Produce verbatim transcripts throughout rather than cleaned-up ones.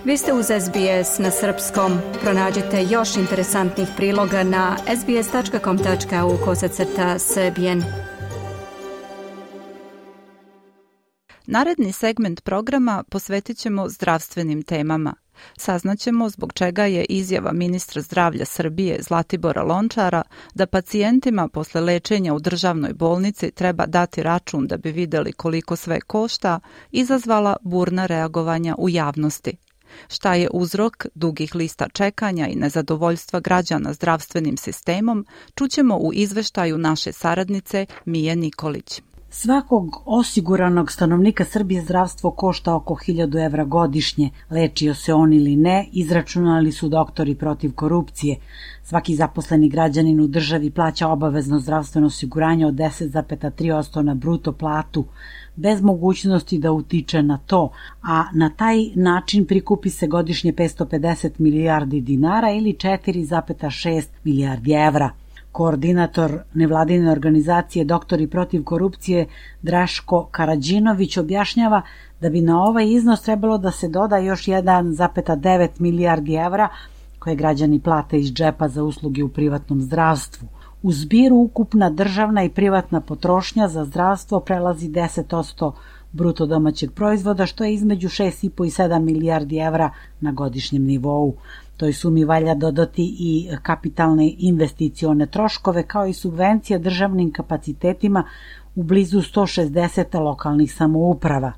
Vi ste uz S B S na srpskom. Pronađite još interesantnih priloga na sbs.com tačka au kosacrta srbijen. Naredni segment programa posvetit ćemo zdravstvenim temama. Saznaćemo zbog čega je izjava ministra zdravlja Srbije Zlatibora Lončara da pacijentima posle lečenja u državnoj bolnici treba dati račun da bi videli koliko sve košta, izazvala burna reagovanja u javnosti. Šta je uzrok dugih lista čekanja i nezadovoljstva građana zdravstvenim sistemom, čućemo u izveštaju naše saradnice Mije Nikolić. Svakog osiguranog stanovnika Srbije zdravstvo košta oko hiljadu evra godišnje. Lečio se on ili ne, izračunali su doktori protiv korupcije. Svaki zaposleni građanin u državi plaća obavezno zdravstveno osiguranje od deset zarez tri posto na bruto platu, bez mogućnosti da utiče na to, a na taj način prikupi se godišnje petsto pedeset milijardi dinara ili četiri zarez šest milijardi evra. Koordinator nevladine organizacije Doktori protiv korupcije Draško Karadžinović objašnjava da bi na ovaj iznos trebalo da se doda još jedan zarez devet milijardi evra koje građani plate iz džepa za usluge u privatnom zdravstvu. U zbiru ukupna državna i privatna potrošnja za zdravstvo prelazi deset posto bruto domaćeg proizvoda, što je između šest i po i sedam milijardi evra na godišnjem nivou. Toj sumi valja dodati i kapitalne investicione troškove kao i subvencije državnim kapacitetima u blizu sto šezdeset lokalnih samouprava.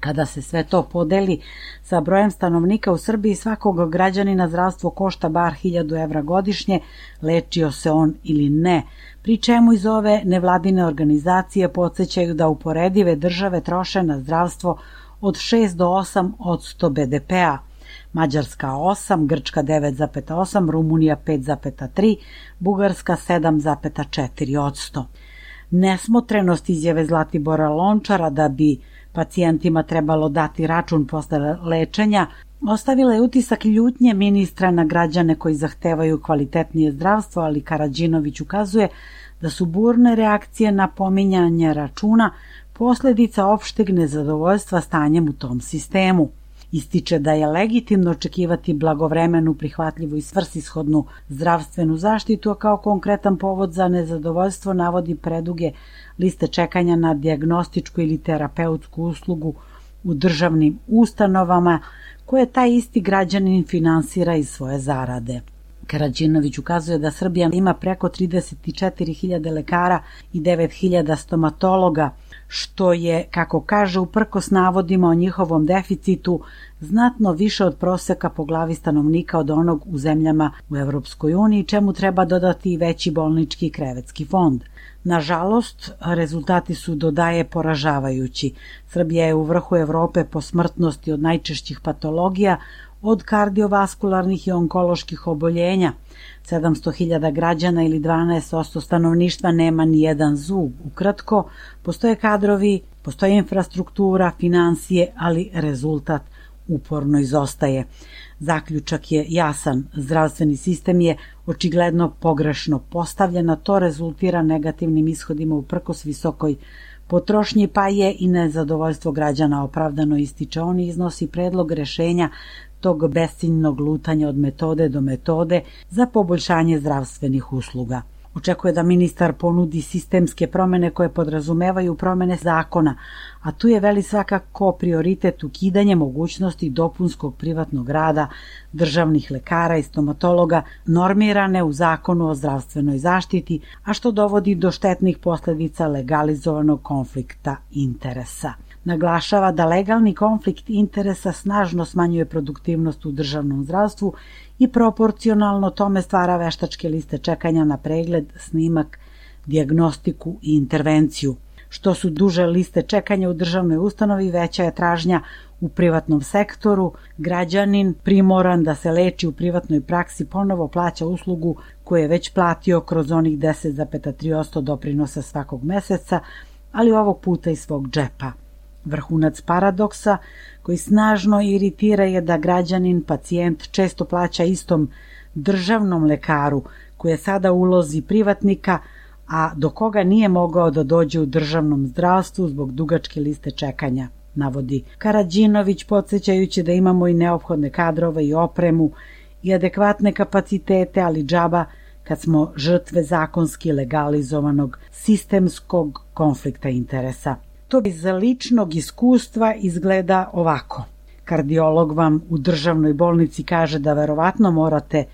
Kada se sve to podeli sa brojem stanovnika u Srbiji, svakog građanina zdravstvo košta bar hiljadu evra godišnje, lečio se on ili ne, pri čemu iz ove nevladine organizacije podsjećaju da uporedive države troše na zdravstvo od šest do osam posto be de pea. Mađarska osam, Grčka devet zarez osam, Rumunija pet zarez tri, Bugarska sedam zarez četiri posto. Nesmotrenost izjave Zlatibora Lončara da bi pacijentima trebalo dati račun posle lečenja ostavila je utisak ljutnje ministra na građane koji zahtevaju kvalitetnije zdravstvo, ali Karadžinović ukazuje da su burne reakcije na pominjanje računa posledica opšteg nezadovoljstva stanjem u tom sistemu. Ističe da je legitimno očekivati blagovremenu, prihvatljivu i svrsishodnu zdravstvenu zaštitu, a kao konkretan povod za nezadovoljstvo navodi preduge liste čekanja na dijagnostičku ili terapeutsku uslugu u državnim ustanovama koje taj isti građanin finansira iz svoje zarade. Karadžinović ukazuje da Srbija ima preko trideset četiri hiljade lekara i devet hiljada stomatologa, što je, kako kaže, uprkos navodima o njihovom deficitu, znatno više od proseka po glavi stanovnika od onog u zemljama u Evropskoj uniji, čemu treba dodati i veći bolnički i krevetski fond. Nažalost, rezultati su, dodaje, poražavajući. Srbija je u vrhu Evrope po smrtnosti od najčešćih patologija, od kardiovaskularnih i onkoloških oboljenja. sedamsto hiljada građana ili dvanaest posto stanovništva nema ni jedan zub. Ukratko, postoje kadrovi, postoje infrastruktura, finansije, ali rezultat uporno izostaje. Zaključak je jasan, zdravstveni sistem je očigledno pogrešno postavljen, a to rezultira negativnim ishodima uprkos visokoj potrošnji, pa je i nezadovoljstvo građana opravdano, ističe on i iznosi predlog rešenja tog besciljnog lutanja od metode do metode za poboljšanje zdravstvenih usluga. Očekuje da ministar ponudi sistemske promene koje podrazumevaju promene zakona, a tu je veli svakako prioritet ukidanje mogućnosti dopunskog privatnog rada državnih lekara i stomatologa normirane u Zakonu o zdravstvenoj zaštiti, a što dovodi do štetnih posledica legalizovanog konflikta interesa. Naglašava da legalni konflikt interesa snažno smanjuje produktivnost u državnom zdravstvu i proporcionalno tome stvara veštačke liste čekanja na pregled, snimak, dijagnostiku i intervenciju. Što su duže liste čekanja u državnoj ustanovi, veća je tražnja u privatnom sektoru. Građanin primoran da se leči u privatnoj praksi ponovo plaća uslugu koju je već platio kroz onih deset zarez tri posto doprinosa svakog meseca, ali ovog puta iz svog džepa. Vrhunac paradoksa koji snažno iritira je da građanin, pacijent, često plaća istom državnom lekaru koji je sada u ulozi privatnika, a do koga nije mogao da dođe u državnom zdravstvu zbog dugačke liste čekanja. navodi Karađinović, podsjećajući da imamo i neophodne kadrove i opremu i adekvatne kapacitete, ali džaba kad smo žrtve zakonski legalizovanog sistemskog konflikta interesa. To iz ličnog iskustva izgleda ovako. Kardiolog vam u državnoj bolnici kaže da verovatno morate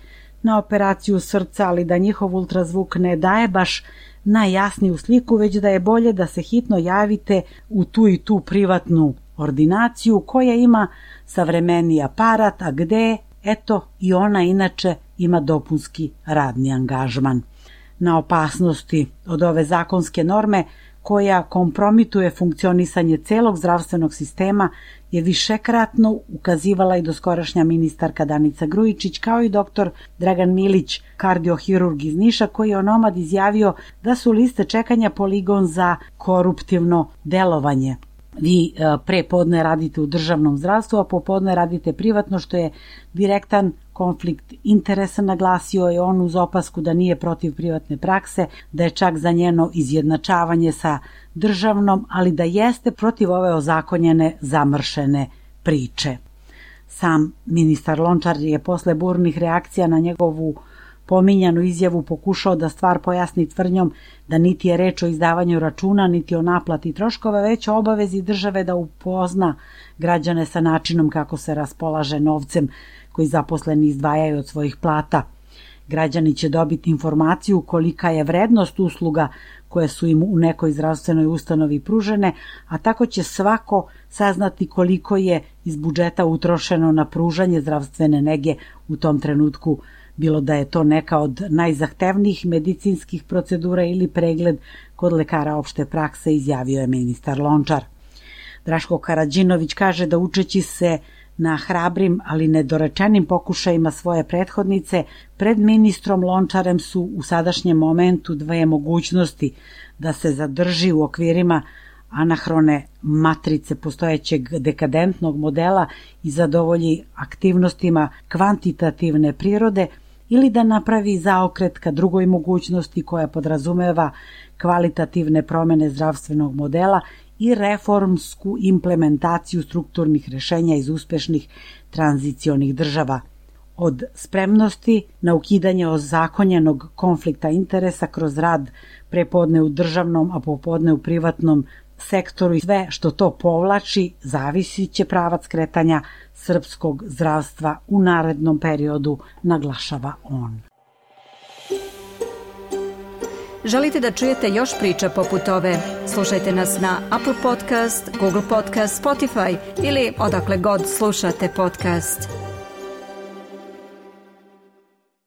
na operaciju srca, ali da njihov ultrazvuk ne daje baš najjasniju sliku, već da je bolje da se hitno javite u tu i tu privatnu ordinaciju koja ima savremeniji aparat, a gde, eto, i ona inače ima dopunski radni angažman. Na opasnosti od ove zakonske norme koja kompromituje funkcionisanje celog zdravstvenog sistema je višekratno ukazivala i doskorašnja ministarka Danica Grujičić, kao i doktor Dragan Milić, kardiohirurg iz Niša, koji je onomad izjavio da su liste čekanja poligon za koruptivno delovanje. Vi pre podne radite u državnom zdravstvu, a popodne radite privatno, što je direktan konflikt interesa, naglasio je on uz opasku da nije protiv privatne prakse, da je čak za njeno izjednačavanje sa državnom, ali da jeste protiv ove ozakonjene zamršene priče. Sam ministar Lončar je posle burnih reakcija na njegovu pominjanu izjavu pokušao da stvar pojasni tvrdnjom da niti je reč o izdavanju računa, niti o naplati troškova, već o obavezi države da upozna građane sa načinom kako se raspolaže novcem koji zaposleni izdvajaju od svojih plata. Građani će dobiti informaciju kolika je vrednost usluga koje su im u nekoj zdravstvenoj ustanovi pružene, a tako će svako saznati koliko je iz budžeta utrošeno na pružanje zdravstvene nege u tom trenutku, bilo da je to neka od najzahtevnijih medicinskih procedura ili pregled kod lekara opšte prakse, izjavio je ministar Lončar. Draško Karađinović kaže da učeći se na hrabrim, ali nedorečenim pokušajima svoje prethodnice, pred ministrom Lončarem su u sadašnjem momentu dve mogućnosti: da se zadrži u okvirima anahrone matrice postojećeg dekadentnog modela i zadovolji aktivnostima kvantitativne prirode, ili da napravi zaokret ka drugoj mogućnosti koja podrazumeva kvalitativne promene zdravstvenog modela i reformsku implementaciju strukturnih rešenja iz uspešnih tranzicionih država. Od spremnosti na ukidanje ozakonjenog konflikta interesa kroz rad prepodne u državnom, a popodne u privatnom sektoru i sve što to povlači, zavisit će pravac kretanja srpskog zdravstva u narednom periodu, naglašava on. Želite da čujete još priča poput ove? Slušajte nas na Apple Podcast, Google Podcast, Spotify ili odakle god slušate podcast.